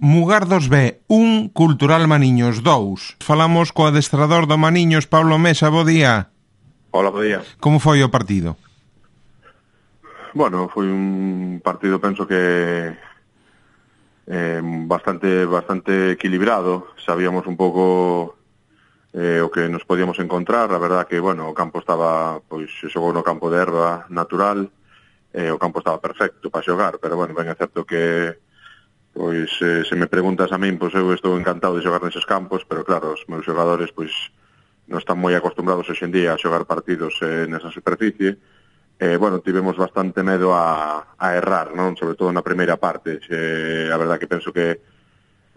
Mugardos B, 1, Cultural Maniños 2. Falamos co adestrador do Maniños, Pablo Mesa, bo día. Hola, bo día. Como foi o partido? Bueno, foi un partido, penso que bastante equilibrado. Sabíamos un pouco o que nos podíamos encontrar. A verdad que, bueno, o campo estaba, pois, se xogou no campo de erva natural, o campo estaba perfecto para xogar, pero, bueno, ben é certo que pois se me preguntas a min, pois eu estou encantado de xogar neses campos, pero claro, os meus xogadores pois non están moi acostumbrados hoxe en día a xogar partidos nesa superficie. Bueno, tivemos bastante medo a errar, non? Sobre todo na primeira parte. A verdad que penso que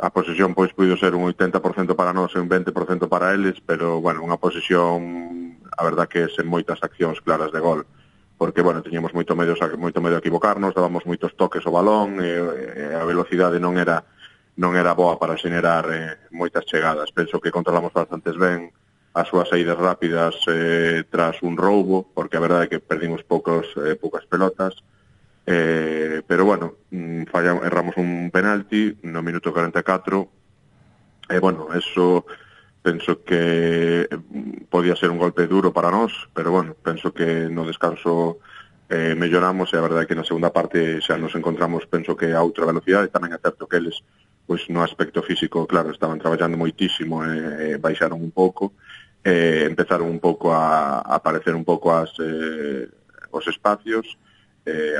a posesión pois puido ser un 80% para nós e un 20% para eles, pero bueno, unha posesión, a verdad que sen moitas accións claras de gol. Porque, bueno, teníamos moito medo a equivocarnos, dábamos moitos toques ao balón, a velocidade non era boa para xenerar moitas chegadas. Penso que controlamos bastantes ben as súas saídas rápidas tras un roubo, porque a verdade é que perdimos poucas pelotas, pero, bueno, erramos un penalti no minuto 44, e, bueno, eso penso que podía ser un golpe duro para nós, pero, bueno, penso que no descanso melloramos, e a verdade é que na segunda parte xa nos encontramos, penso que a outra velocidade. Tamén é certo que eles, pois, no aspecto físico, claro, estaban traballando moitísimo e baixaron un pouco, empezaron un pouco a aparecer un pouco os espacios.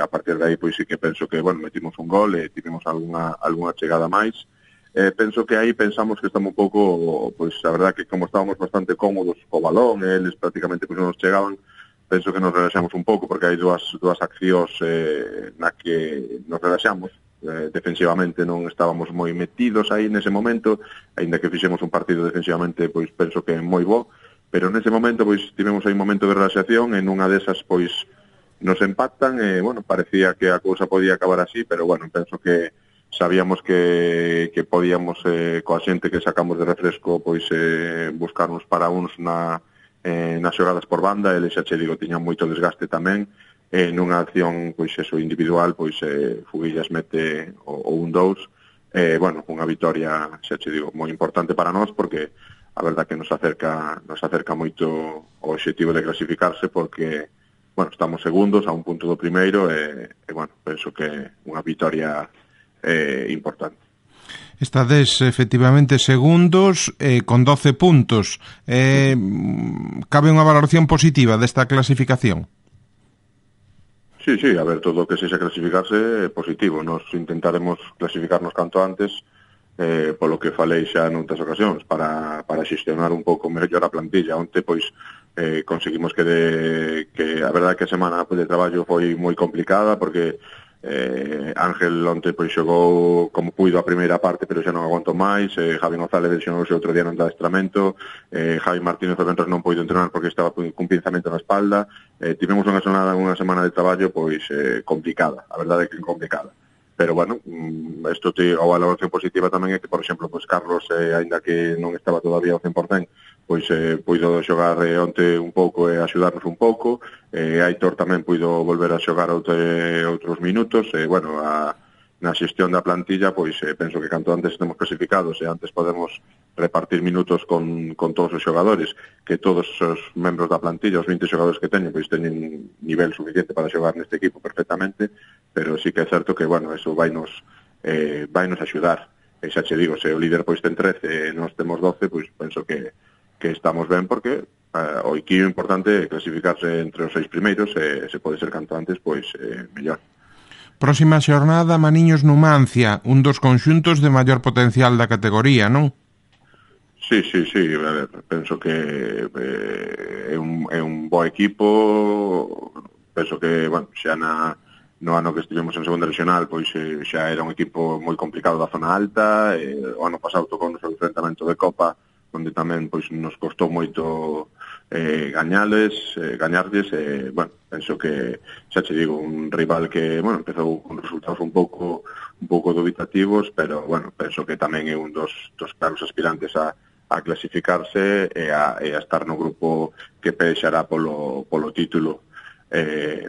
A partir de aí, pois, sí que penso que, bueno, metimos un gol e tivemos algunha chegada máis. Penso que aí pensamos que estamos un pouco, pois, a verdad que como estábamos bastante cómodos co balón, eles prácticamente pois non nos chegaban, penso que nos relaxamos un pouco, porque hai dúas accións na que nos relaxamos. Defensivamente non estábamos moi metidos aí nese momento, aínda que fixemos un partido defensivamente, pois penso que moi bo, pero nese momento pois tivemos aí un momento de relaxación, e nunha desas pois nos empatan, e, bueno, parecía que a cousa podía acabar así, pero, bueno, penso que sabíamos que podíamos, coa xente que sacamos de refresco, pois buscarnos para uns nas xogadas por banda. Eles, xa che digo, tiñan moito desgaste tamén, nunha acción, pois eso, individual, pois Fuguillas mete o 1-2, bueno, unha vitoria, xa che digo, moi importante para nós, porque a verdad que nos acerca moito o obxectivo de clasificarse, porque, bueno, estamos segundos a un punto do primeiro, e bueno, penso que unha vitoria importante. Estades efectivamente segundos con 12 puntos. Cabe unha valoración positiva desta clasificación? Sí, a ver, todo o que sexa clasificarse é positivo. Nos intentaremos clasificarnos canto antes, polo que falei xa noutras ocasións, para xestionar un pouco mellor a plantilla. Onte, pois, conseguimos que a verdade que a semana de traballo foi moi complicada, porque Ángel onte pois xogou como puido a primeira parte, pero xa non aguantou máis. Javi González lesionouse outro día no adestramento. Javi Martínez o Ventres non puido entrenar porque estaba cun pinzamento na espalda. Tivemos unha semana de traballo pois complicada, a verdade é que complicada. Pero, bueno, a valoración positiva tamén é que, por exemplo, pois Carlos, aínda que non estaba todavía ao 100%, pois puido xogar onte un pouco e axudarnos un pouco. Aitor tamén puido volver a xogar outros minutos. Bueno, na xestión da plantilla, pois penso que canto antes estemos clasificados e antes podemos repartir minutos con todos os xogadores, que todos os membros da plantilla, os 20 xogadores que teñen, pois teñen nivel suficiente para xogar neste equipo perfectamente, pero sí que é certo que, bueno, eso vainos axudar. E xa che digo, se o líder pois ten 13 e nós temos 12, pois penso que estamos ben, porque o equipo importante é clasificarse entre os 6 primeiros, e se pode ser canto antes, pois mellor. Próxima xornada, Maniños Numancia, un dos conxuntos de maior potencial da categoría, non? Sí, a ver, penso que é un bo equipo. Penso que, bueno, xa no ano que estivemos en segunda regional, pois xa era un equipo moi complicado da zona alta. O ano pasado tocou o enfrentamento de Copa, onde tamén pois nos costou moito gañarlles. Bueno, penso que, xa che digo, un rival que, bueno, empezou con resultados un pouco dubitativos, pero, bueno, penso que tamén é un dos claros aspirantes a clasificarse e a estar no grupo que pexará polo título.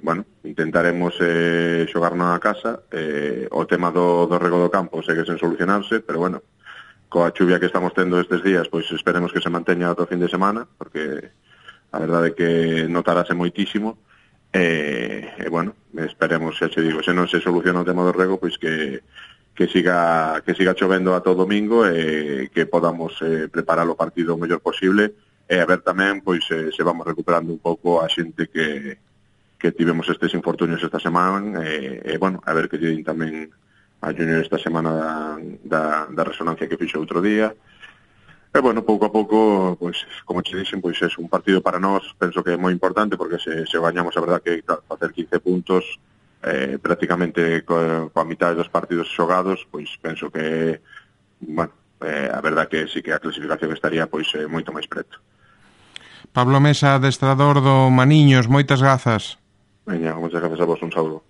bueno, intentaremos xogar na casa. O tema do rego do campo segue sen solucionarse, pero bueno, coa chuvia que estamos tendo estes días, pois esperemos que se manteña ata o fin de semana, porque a verdade é que notarase moitísimo. Bueno, esperemos, xa che digo, se non se soluciona o tema do rego, pois que siga chovendo ata o domingo e que podamos preparar o partido o mellor posible, e a ver tamén pois se vamos recuperando un pouco a xente que tivemos estes infortunios esta semana, e bueno, a ver que lle din tamén a Junior esta semana da resonancia que fixo outro día. E bueno, pouco a pouco, pois, como che dixen, pois é un partido para nós, penso que é moi importante, porque se gañamos, a verdad que facer 15 puntos prácticamente coa mitad dos partidos xogados, pois penso que, bueno, a verdad que sí que a clasificación estaría pois moito máis preto. Pablo Mesa, adestrador do Maniños, moitas grazas. Veña, moitas grazas a vos, un saúdo.